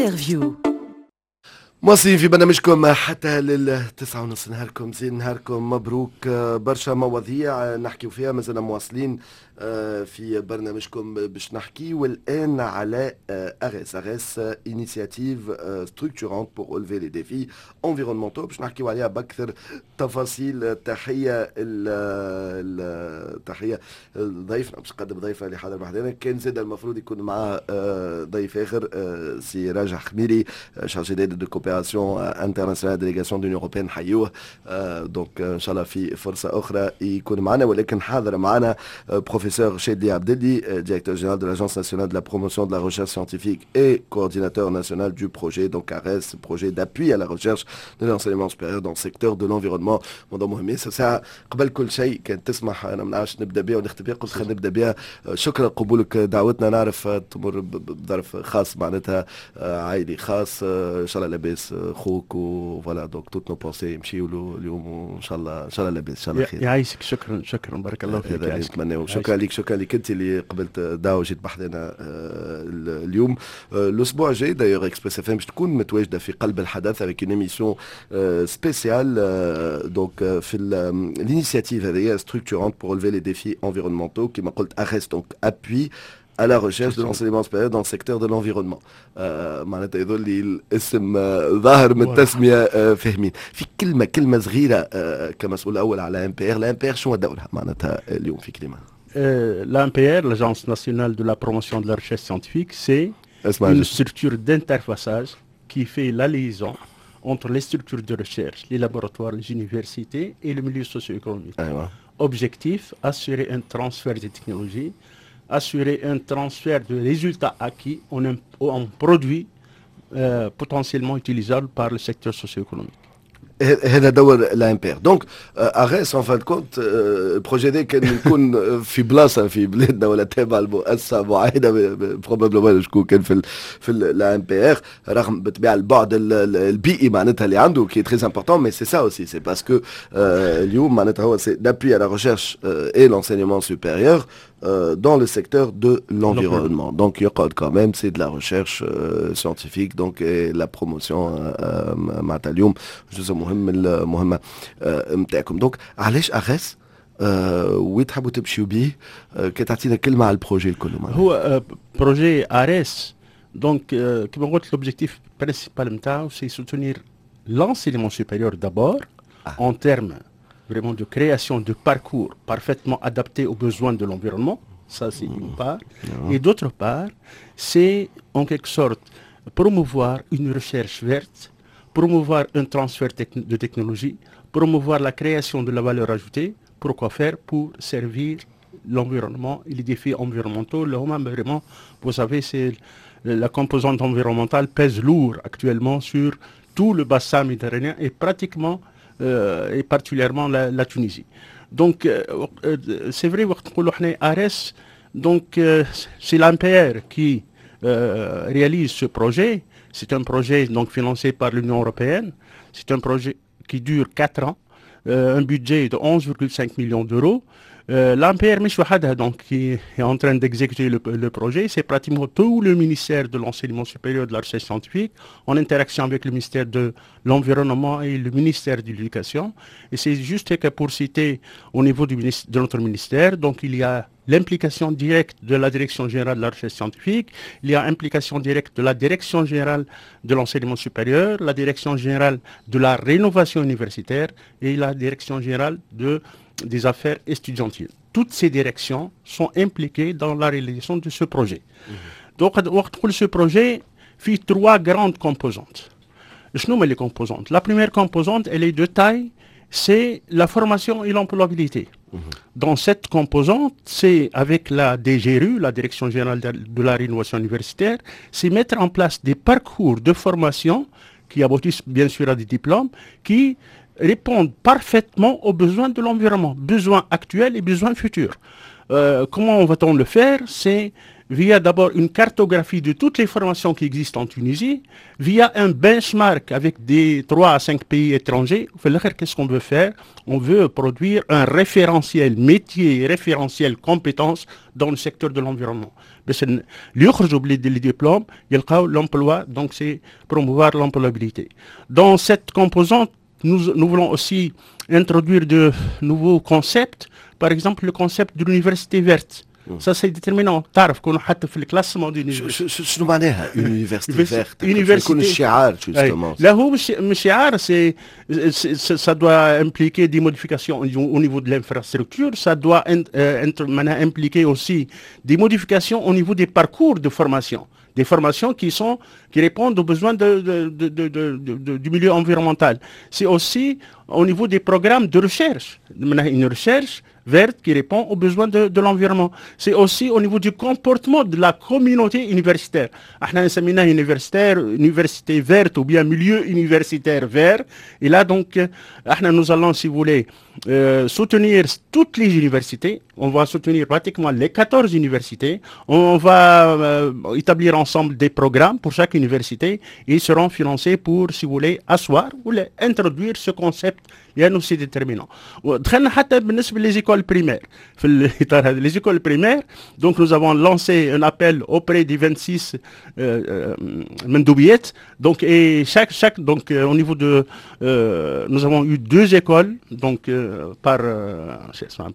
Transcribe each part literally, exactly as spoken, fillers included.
Interview. مواصلين في برنامجكم حتى للتسعة ونص. نهاركم زين، نهاركم مبروك. برشا مواضيع نحكيو فيها، مازلنا مواصلين آه، في برنامجكم باش نحكي والان على ARES، ARES initiative structurante pour relever les défis environnementaux، باش نحكيو عليها باكثر تفاصيل. تحيه تحيه ضيفنا، باش نقدم ضيفه اللي حاضر بحذانا. كان زاد المفروض يكون معاه آه، ضيف اخر، آه، سي راجح خميري، chargé de coopération internationale، délégation de l'Union européenne، نحيوه. donc ان شاء الله في فرصه اخرى يكون معنا، ولكن حاضر معنا professeur Chedli Abdelli, directeur général de l'Agence nationale de la promotion de la recherche scientifique et coordinateur national du projet, donc ARES, projet d'appui à la recherche de l'enseignement supérieur dans le secteur de l'environnement. موضوع مهم ساعة. قبل كل شيء، كان تسمح، انا ما نعرفش نبدا بها ونختم بها، قلت خلينا نبدا بها. شكرا قبولك دعوتنا، نعرف تمر بظرف خاص، معناتها عائلي خاص، ان شاء الله لاباس خوك و voilà، donc toutes nos pensées يمشيوا له اليوم، وان شاء الله ان شاء الله لاباس، ان شاء الله خير. يعيشك، شكرا شكرا، بارك الله فيك. هذا نتمناه. شكرا لك، شكرا لك انت اللي قبلت دعوه وجيت بحذنا اليوم. الاسبوع الجاي d'ailleurs Express FM باش تكون متواجده في قلب الحدث avec une émission spéciale، donc في l'initiative هذه structurante pour relever les défis environnementaux، كما قلت ARES، donc appui à la recherche de l'enseignement supérieur dans le secteur de l'environnement. معناتها يظل لي الاسم ظاهر من التسميه، فاهمين. في كلمه كلمه صغيره، كمسؤول اول على ANPR، l'ANPR شنو دورها معناتها اليوم في كلمه؟ L'ANPR, l'Agence nationale de la promotion de la recherche scientifique, c'est une structure d'interfaçage qui fait la liaison entre les structures de recherche, les laboratoires, les universités et le milieu socio-économique. أيوة. Objectif, assurer un transfert des technologies, assurer un transfert de résultats acquis en, un, en produits euh, potentiellement utilisables par le secteur socio-économique. هذا دور l'ANPR. donc ARES، en fin de compte، ال projet ده كان يكون في بلاصه في بلادنا ولا تابع لمؤسسه معينه، probablement شكون كان في ال في l'ANPR، رغم بالطبيعه البعد البيئي معناتها اللي عنده qui est très important، mais c'est ça aussi، c'est parce que اليوم معناتها هو c'est l'appui à la recherche et l'enseignement supérieur dans le secteur de l'environnement. Donc, il y a quand même, c'est de la recherche euh, scientifique, donc, et la promotion معناتها اليوم جزء مهم من المهمة نتاعكم. donc علاش ARES؟ وين تحبوا تمشيو بيه؟ كي تعطينا كلمة على ال projet الكل. هو projet ARES، donc كما قلت، l'objectif principal نتاعو c'est soutenir l'enseignement supérieur d'abord ah. en termes vraiment de création de parcours parfaitement adaptés aux besoins de l'environnement. Ça, c'est une part. Et d'autre part, c'est en quelque sorte promouvoir une recherche verte, promouvoir un transfert de technologie, promouvoir la création de la valeur ajoutée. Pourquoi faire? Pour servir l'environnement et les défis environnementaux. Le vraiment, vous savez, c'est la composante environnementale pèse lourd actuellement sur tout le bassin méditerranéen et pratiquement euh, et particulièrement la, la Tunisie. Donc, euh, c'est vrai, ARES, donc euh, c'est l'ANPR qui réalise ce projet. C'est un projet donc financé par l'Union européenne. C'est un projet qui dure quatre ans, un budget de onze virgule cinq millions d'euros. Euh, L'ANPR مش وحدها donc qui est en train d'exécuter le, le projet, c'est pratiquement tout le ministère de l'enseignement supérieur, de la recherche scientifique, en interaction avec le ministère de l'environnement et le ministère de l'éducation. Et c'est juste que pour citer au niveau du ministre, de notre ministère, donc il y a l'implication directe de la Direction générale de la recherche scientifique, il y a implication directe de la Direction générale de l'enseignement supérieur, la Direction générale de la rénovation universitaire et la Direction générale de, des affaires estudiantines. Toutes ces directions sont impliquées dans la réalisation de ce projet. Mmh. Donc, ce projet fait trois grandes composantes. شنو هما les composantes؟ La première composante, elle est de taille, c'est la formation et l'employabilité. Mmh. Dans cette composante, c'est avec la D G R U, la Direction générale de la rénovation universitaire, c'est mettre en place des parcours de formation qui aboutissent bien sûr à des diplômes, qui répondent parfaitement aux besoins de l'environnement, besoins actuels et besoins futurs. Euh, comment va-t-on le faire? C'est via d'abord une cartographie de toutes les formations qui existent en Tunisie, via un benchmark avec des trois à cinq pays étrangers. Qu'est-ce qu'on veut faire? On veut produire un référentiel métier, référentiel compétences dans le secteur de l'environnement. باش اللي يخرجوا ب les diplômes يلقاو l'emploi, donc c'est promouvoir l'employabilité. Dans cette composante, nous, nous voulons aussi introduire de nouveaux concepts, par exemple le concept de l'université verte. Ça c'est déterminant. تعرف كون حتى في ال classement des شنو معناها université verte؟ يكون الشعار justement. لا هو مش مش شعار, c'est ça doit impliquer des modifications au niveau de l'infrastructure, ça doit معناها impliquer aussi des modifications au niveau des parcours de formation, des formations qui sont qui répondent aux besoins de, de, de, de, du milieu environnemental. C'est aussi au niveau des programmes de recherche, une recherche verte qui répond aux besoins de, de l'environnement. C'est aussi au niveau du comportement de la communauté universitaire. احنا سميناه universitaire, université verte ou bien milieu universitaire vert. Et là donc, احنا nous allons, si vous voulez, euh, soutenir toutes les universités. On va soutenir pratiquement les quatorze universités. On va euh, établir ensemble des programmes pour chaque université et ils seront financés pour, si vous voulez, asseoir ou introduire ce concept لانه c'est déterminant. دخلنا حتى بالنسبه les écoles primaires. في الاطار هذا les écoles primaires, donc nous avons lancé un appel auprès des vingt-six مندوبيات, donc et chaque chaque donc au niveau de euh, nous avons eu deux écoles donc euh, par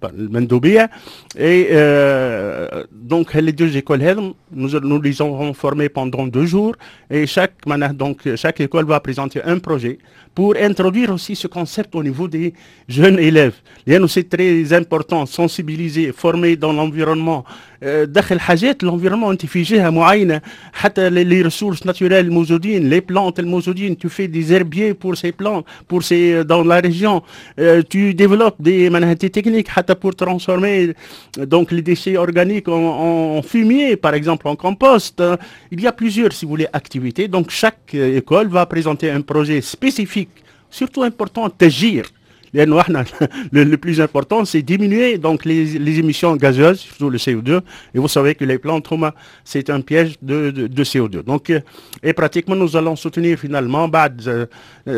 par المندوبيه et euh, donc les deux écoles هذم nous nous les avons formées pendant deux jours et chaque donc chaque école va présenter un projet pour introduire aussi ce concept au niveau des jeunes élèves. لأنه c'est très important, sensibiliser, former dans l'environnement. دخل حاجات l'environnement انت في جهه معينه حتى les ressources naturelles الموجودين, les plantes الموجودين, tu fais des herbiers pour ces plantes, pour ces dans la région, tu développes des معناها des techniques حتى pour transformer donc les déchets organiques en, en fumier, par exemple, en compost. Il y a plusieurs, si vous voulez, activités. Donc chaque école va présenter un projet spécifique, surtout important تشجير لانه احنا le plus important, c'est diminuer donc les, les émissions gazeuses, surtout le C O deux, et vous savez que les plantes هما c'est un piège de, de, de C O deux. Donc et pratiquement nous allons soutenir finalement بعد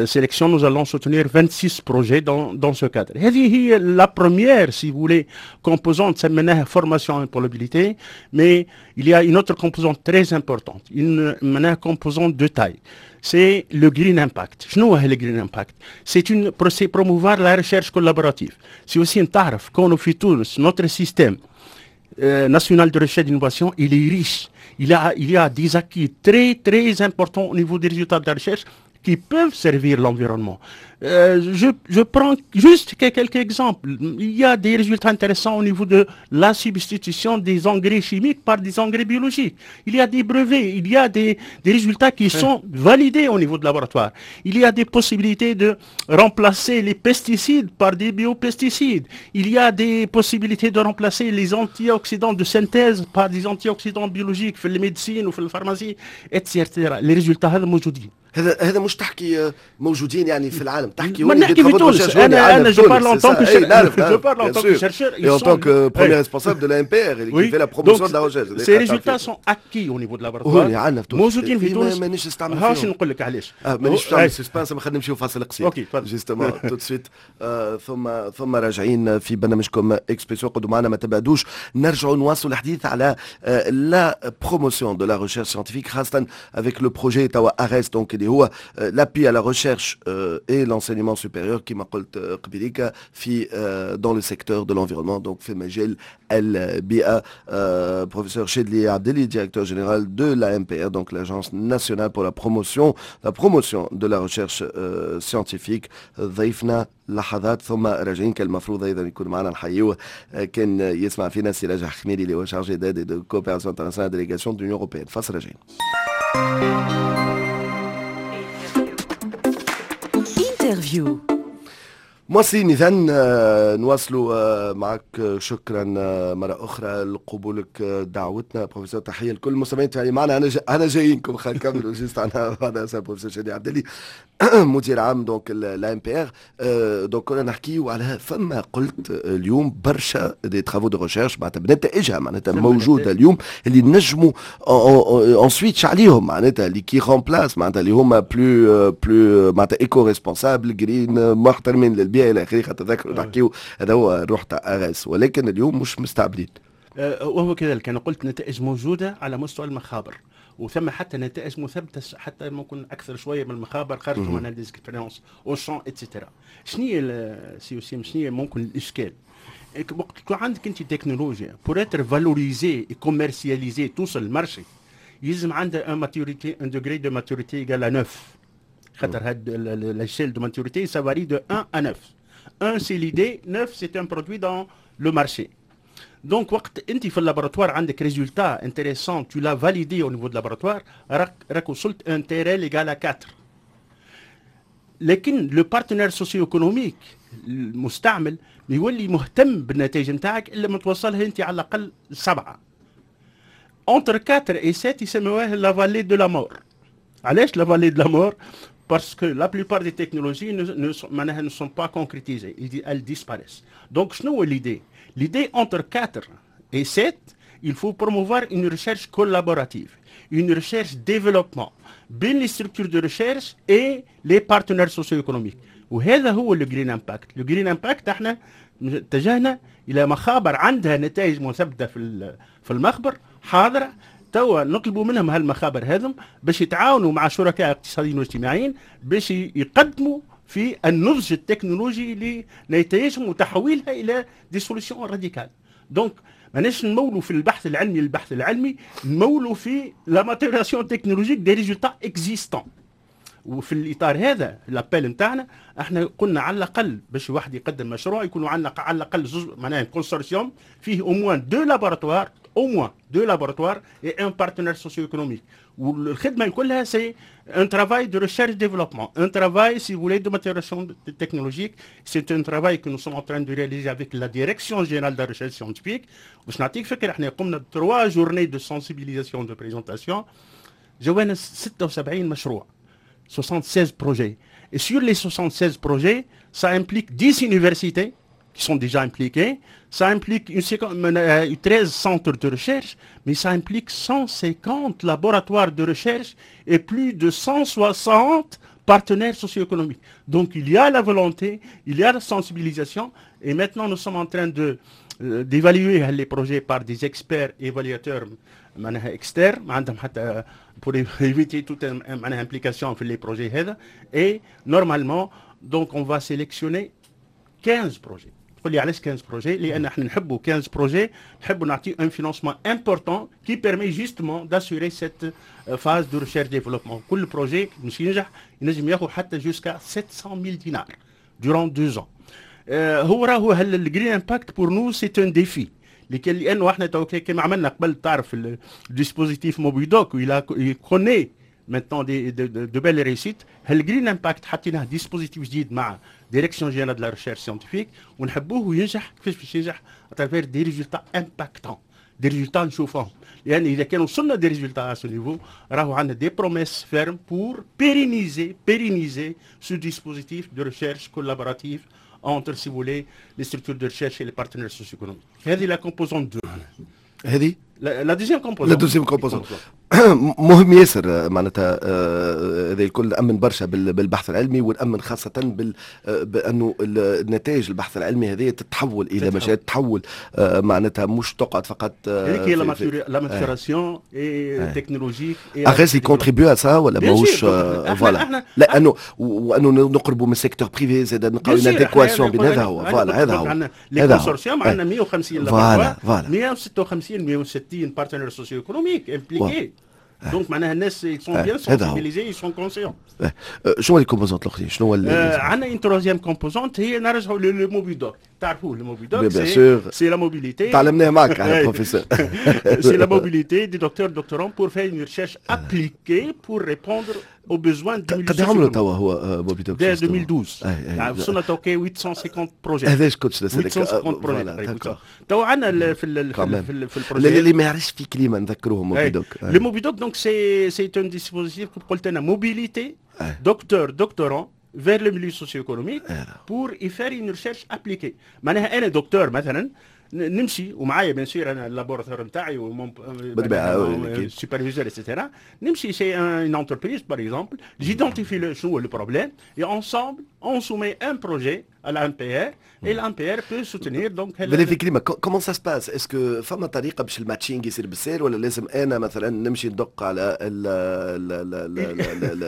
sélection, nous allons soutenir vingt-six projets dans, dans ce cadre. هذه هي la première, si vous voulez, composante سميناها formation employabilité, mais il y a une autre composante très importante, une معناها composante de taille, c'est le Green Impact. شنو هو le Green Impact؟ C'est une c'est promouvoir la recherche collaborative. C'est aussi تعرف كونه في تونس notre système euh, national de recherche et d'innovation, il est riche. Il a, il y a des acquis très très importants au niveau des résultats de la recherche qui peuvent servir l'environnement. Euh, je, je, prends juste quelques exemples. Il y a des résultats intéressants au niveau de la substitution des engrais chimiques par des engrais biologiques. Il y a des brevets, il y a des, des résultats qui sont validés au niveau de laboratoire. Il y a des possibilités de remplacer les pesticides par des biopesticides. Il y a des possibilités de remplacer les antioxydants de synthèse par des antioxydants biologiques في la médecine ou في la pharmacie, et cetera. Les résultats هذا موجودين. هذا هذا مش تحكي موجودين يعني في العالم تحكي. ما نحكي في تونس انا انا je parle en tant que je parle en tant que chercheur et en tant que premier responsable de l'A M P R qui fait la promotion de la recherche. Ces résultats sont acquis au niveau de laboratoire. عندنا في تونس موجودين في تونس. مانيش نستعمل فيهم. هاش نقول لك علاش. مانيش نعمل suspense خلينا نمشيو فاصل قصير OK تفضل. justement tout de suite ثم ثم راجعين في برنامجكم اكسبريسو قعدوا معنا ما تبعدوش نرجعوا نواصلوا الحديث على la promotion de la recherche scientifique خاصة avec le projet توا ARES, donc اللي هو l'appui à la recherche et l'enseignement supérieur كما قلت قبليك في dans le secteur de l'environnement, donc في مجال البيئة. Professeur Chedli Abdelli, directeur général de l'A M P R, donc l'Agence nationale pour la promotion la promotion de la recherche scientifique, ضيفنا لحظات ثم راجعين. كان المفروض ايضا يكون معنا نحيوه كان يسمع فينا سي راجح خميري اللي هو chargé d'aide de coopération internationale, délégation de l'Union européenne. فاصل راجعين. Interview. مواصلين اذا، نواصلوا آه، معك. شكرا آه، مرة اخرى لقبولك دعوتنا بروفيسور. تحية لكل المستمعين اللي معنا. انا انا جايينكم، خلينا نكملوا juste عنا بعد بروفيسور شادي عبدلي، مدير عام donc l'ANPR. donc كنا نحكيو على فما قلت اليوم برشا des travaux de recherche معناتها بنتائجها معناتها موجودة اليوم اللي نجموا on switch عليهم، معناتها اللي qui remplacent، معناتها اللي هما plus plus معناتها éco-responsables، green، محترمين للبيئة الى اخره. خاطر تذكروا نحكيو هذا هو الروح تاع ARES، ولكن اليوم مش مستعملين. أه، وهو كذلك، انا قلت نتائج موجودة على مستوى المخابر، وثم حتى نتائج مثبتة حتى ممكن اكثر شوية من المخابر، خرجوا من des expériences au champ et cetera. شنو هي سي وسيم، شنو هي ممكن الاشكال؟ وقت تكون عندك انت تكنولوجيا، pour être valorisée et commercialisée، توصل لل marché، يلزم عندها un maturité، un degré de maturité égal à neuf، خاطر هاد l'échelle de maturité ça varie de un à neuf. un c'est l'idée، neuf c'est un produit dans le marché. donc وقت انت في ال laboratoire عندك résultat intéressant، tu l'as validé au niveau de laboratoire، راك راك وصلت un T R L égal quatre. لكن le partenaire socio-économique، المستعمل، يولي مهتم بالنتائج نتاعك الا ما توصلها انت على الاقل سبعه. entre quatre et sept يسموها la vallée de la mort. علاش la vallée de la mort؟ parce que la plupart des technologies ne, ne, ne sont pas concrétisées, elles disparaissent. Donc, شنو هو l'idée؟ L'idée, entre quatre et sept, il faut promouvoir une recherche collaborative, une recherche développement بين les structures de recherche et les partenaires socio-économiques. وهذا هو ال Green Impact. ال Green Impact احنا اتجهنا الى مخابر عندها نتائج مثبتة في في المخبر حاضره. توا نطلبوا منهم هالمخابر هذم باش يتعاونوا مع شركاء اقتصاديين واجتماعيين باش يقدموا في النضج التكنولوجي لنتائجهم وتحويلها الى des solutions radicales. donc ماناش نمولوا في البحث العلمي، البحث العلمي نمولوا في la maturation technologique des résultats existants. وفي الاطار هذا l'appel نتاعنا، احنا قلنا على الاقل باش واحد يقدم مشروع يكونوا عندنا على الاقل زوز، معناها consortium فيه au moins deux laboratoires، au moins deux laboratoires et un partenaire socio-économique. والخدمة كلها c'est un travail de recherche développement، un travail si vous voulez de maturation technologique. c'est un travail que nous sommes en train de réaliser avec la direction générale de la recherche scientifique. باش نعطيك فكره، احنا قمنا trois journées de sensibilisation، de présentation، جاونا ستة وسبعين مشروع، soixante-seize projets. Et sur les soixante-seize projets, ça implique dix universités qui sont déjà impliquées, ça implique une, treize centres de recherche, mais ça implique cent cinquante laboratoires de recherche et plus de cent soixante partenaires socio-économiques. Donc il y a la volonté, il y a la sensibilisation, et maintenant nous sommes en train de euh, d'évaluer les projets par des experts évaluateurs معناها externes، عندهم حتى pour éviter toute معناها implication في les projets هذا. et normalement donc on va sélectionner quinze projets. تقول لي علاش quinze projets؟ لان احنا نحبوا quinze projets، نحبوا نعطي un financement important qui permet justement d'assurer cette phase de recherche développement. كل projet مش ينجح ينجم ياخذ حتى jusqu'à sept cent mille دينار durant deux ans. هو راهو ال Green Impact pour nous c'est un défi، لانه احنا كما عملنا قبل، تعرف ال dispositif Mobidoc، il connaît maintenant des de, de, de belles réussites. ال Green Impact حطيناه dispositif جديد مع direction générale de la recherche scientifique ونحبوه ينجح. كيفاش باش ينجح؟ à travers des résultats impactants، des résultats نشوفوهم، لان اذا كان وصلنا des résultats à ce niveau راهو عندنا des promesses fermes pour pérenniser pérenniser ce dispositif de recherche collaborative entre, si vous voulez, les structures de recherche et les partenaires socio-économiques. هذه la composante deux. هذه la deuxième composante. la deuxième composante مهم ياسر، معناتها آه، هذا الكل نأمن برشا بالبحث العلمي ونأمن خاصة بال آه، بأنه النتائج البحث العلمي هذه تتحول إلى مشاريع، تتحول آه، معناتها مش تقعد فقط. هذيك هي la maturation technologique. ARES contribue à ça ولا ماهوش؟ voilà، لانه وانه نقربوا من secteur privé زاد، نلقاو une adéquation بين هذا هو، voilà هذا هو. les consortiums عندنا مية وخمسين voilà voilà مية وستة وخمسين مية وستين partenaires socio-économiques impliqués. donc معناها الناس sont bien sensibilisés، ils sont conscients. شنو les composantes الاخرين؟ شنو هو؟ عندنا une troisième composante هي نرجعوا لل Mobidoc. تعرفوه le Mobidoc؟ c'est c'est la mobilité. تعلمناه معك احنا professeur. c'est la mobilité des docteurs doctorants pour faire une recherche appliquée pour répondre aux besoins du قد عملوا توا هو Mobidoc؟ dès ألفين واثنا عشر وصلنا تو ثمانمية وخمسين projets. هذاش كنت نسالك. ثمانمية وخمسين projets تو عندنا في ال في في ال projet. اللي ما يعرفش في كلمه نذكروهم Mobidoc. le Mobidoc donc c'est c'est un dispositif، قلت انا mobilité docteur doctorant vers le milieu socio-économique pour y faire une recherche appliquée. معناها انا دكتور مثلا نمشي ومعايا bien sûr انا ال laboratoire نتاعي بالطبيعه superviseur et cetera، نمشي chez une entreprise par exemple، j'identifie شنو هو le problème et ensemble on soumet un projet à l'ANPR et l'ANPR peut soutenir donc. بالله في كلمه، comment ça se passe؟ est-ce que فما طريقه باش ال matching يصير بالسهل ولا لازم انا مثلا نمشي ندق على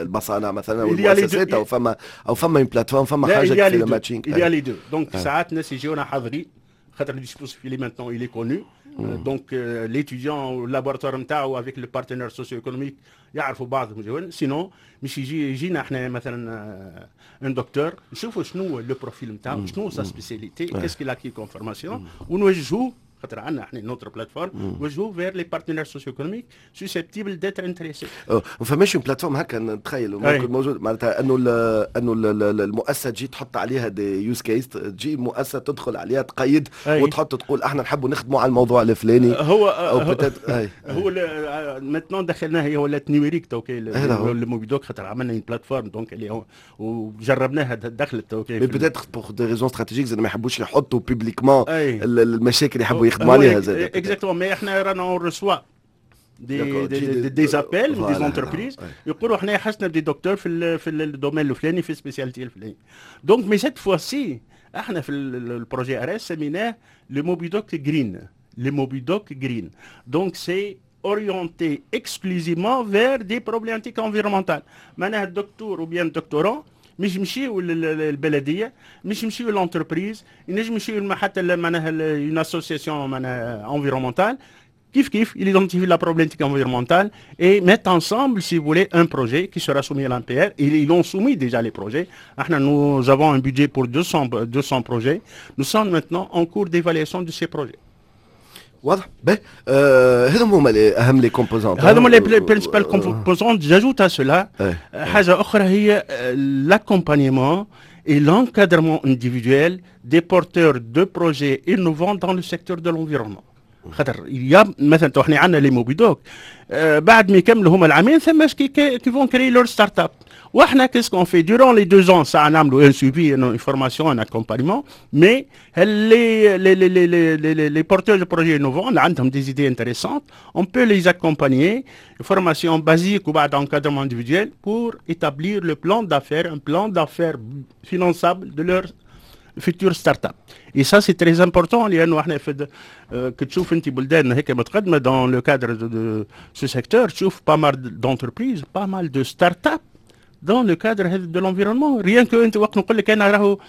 المصانع مثلا والمؤسسات او فما او فما une plateforme، فما حاجه في ال matching؟ il y a les deux. donc ساعات الناس يجيونا حاضرين خاطر ال dispositif اللي maintenant il est connu، donc l'étudiant laboratoire نتاعو avec le partenaire socio-économique يعرفوا بعضهم. sinon مش يجي يجينا احنا مثلا un docteur، نشوفوا شنو le profil نتاعو، شنو sa spécialité، qu'est-ce qu'il a acquis comme formation، ونوجهوه خاطر عندنا احنا notre plateforme، نوجهوه vers les partenaires socio-économiques susceptibles d'être intéressés. ما فماش une plateforme هكا نتخيل ممكن موجود، معناتها انه انه المؤسسه تجي تحط عليها des use cases، تجي مؤسسه تدخل عليها تقيد وتحط تقول احنا نحبوا نخدموا على الموضوع الفلاني؟ هو او هو maintenant دخلناها، هي ولات numérique تو ال Mobidoc خاطر عملنا une plateforme donc اللي وجربناها دخلت تو. mais peut-être pour des raisons stratégiques زاد ما يحبوش يحطوا publiquement المشاكل اللي يحبوا يخدموا عليها زاد. exactement، mais احنا رانا on reçoit des des, des, des appels des entreprises يقولوا احنا حسنا des docteurs في ال في ال domaine الفلاني، في spécialité الفلاني. donc mais cette fois-ci احنا في ال projet ARES سميناه le Mobidoc Green. le Mobidoc Green donc c'est orienté exclusivement vers des problématiques environnementales. معناها الدكتور ou bien doctorant مش يمشيو للبلديه، مش يمشيو l'entreprise، ينجم يمشيو حتى معناها une association معناها environnementale. كيف كيف il identifie la problématique environnementale et met ensemble, si vous voulez, un projet qui sera soumis à l'ANPR. Ils, ils ont soumis déjà les projets. Nous avons un budget pour deux cents, deux cents projets. Nous sommes maintenant en cours d'évaluation de ces projets. واضح. باهي آه هذم هما اهم les composantes. هذم هما les principales composantes. j'ajoute à cela حاجه اخرى هي l'accompagnement et l'encadrement individuel des porteurs de projets innovants dans le secteur de l'environnement. خاطر يا مثلا تو احنا عندنا les Mobidoc آه بعد ما يكملوا هما العامين ثم qui qui vont créer leur start-up. واحنا qu'est-ce qu'on fait durant les deux ans؟ ساعه نعملوا un suivi، une formation، un accompagnement، mais les les les les les les porteurs de projets innovants اللي عندهم des idées intéressantes، on peut les accompagner، formation basique وبعد encadrement individuel pour établir le plan d'affaires، un plan d'affaires finançable de leur future start-up. Et ça c'est très important لانه احنا في كي تشوف انت بلدان هيك متقدمه dans le cadre de ce secteur، تشوف pas mal d'entreprises، pas mal de start-up dans le cadre de l'environnement. Rien que انت وقت نقول لك انا راهو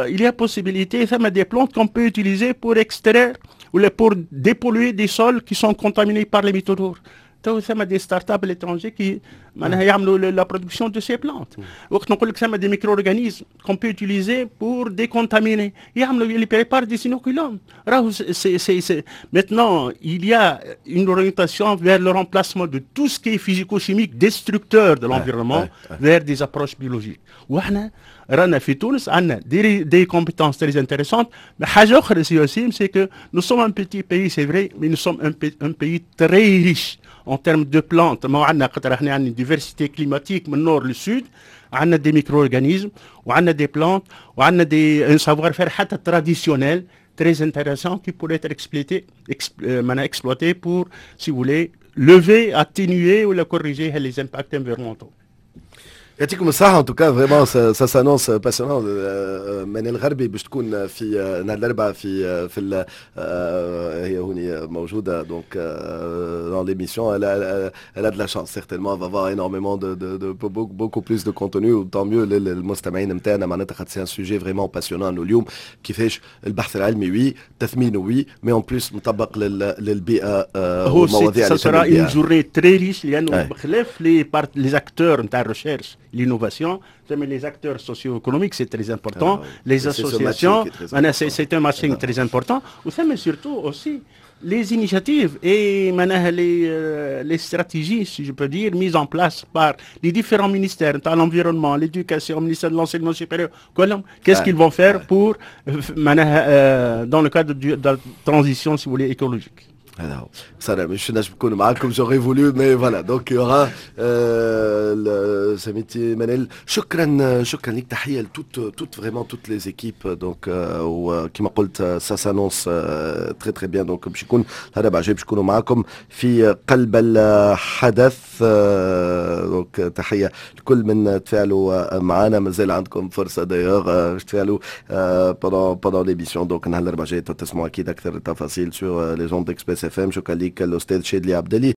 il y a possibilité ثم des plantes qu'on peut utiliser pour extraire ou pour dépolluer des sols qui sont contaminés par les métaux lourds. تو ثم des start-up à l'étranger qui معناها يعملوا la production de ces plantes. وقت نقول لك ثم des micro-organismes qu'on peut utiliser pour décontaminer، يعملوا ils préparent des inoculums. راهو c'est c'est c'est maintenant il y a une orientation vers le remplacement de tout ce qui est physico-chimique destructeur de l'environnement vers des approches biologiques. واحنا رانا في تونس عندنا des des compétences très intéressantes. حاجه اخرى سي وسيم، c'est que nous sommes un petit pays، c'est vrai، mais nous sommes un pays très riche en termes de plantes. ما عندنا خاطر احنا عندنا diversité climatique من nord لل sud، عندنا des micro-organismes وعندنا des plantes وعندنا des un savoir-faire حتى traditionnel très intéressant qui pourrait être exploité, exp, exploité pour, si vous voulez, lever, atténuer ou corriger les impacts environnementaux. يعطيكم الصحة، en tout cas vraiment ça s'annonce passionnant. منال الغربي باش تكون في نهار الأربعاء في في هي هوني موجودة donc dans l'émission. elle a, elle a de la chance، certainement elle va avoir énormément de, de, de beaucoup plus de contenu، tant mieux للمستمعين نتاعنا معناتها خاطر c'est un sujet vraiment passionnant انه اليوم كيفاش البحث العلمي oui، تثمينه oui، mais en plus مطبق للبيئة. هو ça sera une journée très riche لانه بخلاف les les acteurs نتاع ال recherche l'innovation، ثم les acteurs socio-économiques، c'est très important، les associations، c'est un matching très important، وثم surtout aussi les initiatives et معناها les, euh, les stratégies، si je peux dire، mises en place par les différents ministères، l'environnement، l'éducation، le ministère de l'enseignement supérieur، qu'est-ce qu'ils vont faire pour معناها dans le cadre de la transition، si vous voulez، écologique. هذا هو، صار مش نجم نكون معاكم، j'aurais voulu، mais voilà، donc il y aura سميتي منال، شكرا شكرا لك، تحية ل toutes toutes vraiment toutes les équipes. donc وكما قلت ça s'annonce très très bien. donc باش يكون الربع جاي باش يكونوا معاكم في قلب الحدث. donc تحية لكل من تفاعلوا معنا، مازال عندكم فرصة d'ailleurs باش تفاعلوا pendant pendant l'émission. donc نهار الاربعاء جاي تسمعوا اكيد اكثر التفاصيل sur les ondes d'Express FM. شكرا لك الاستاذ شادلي عبدلي.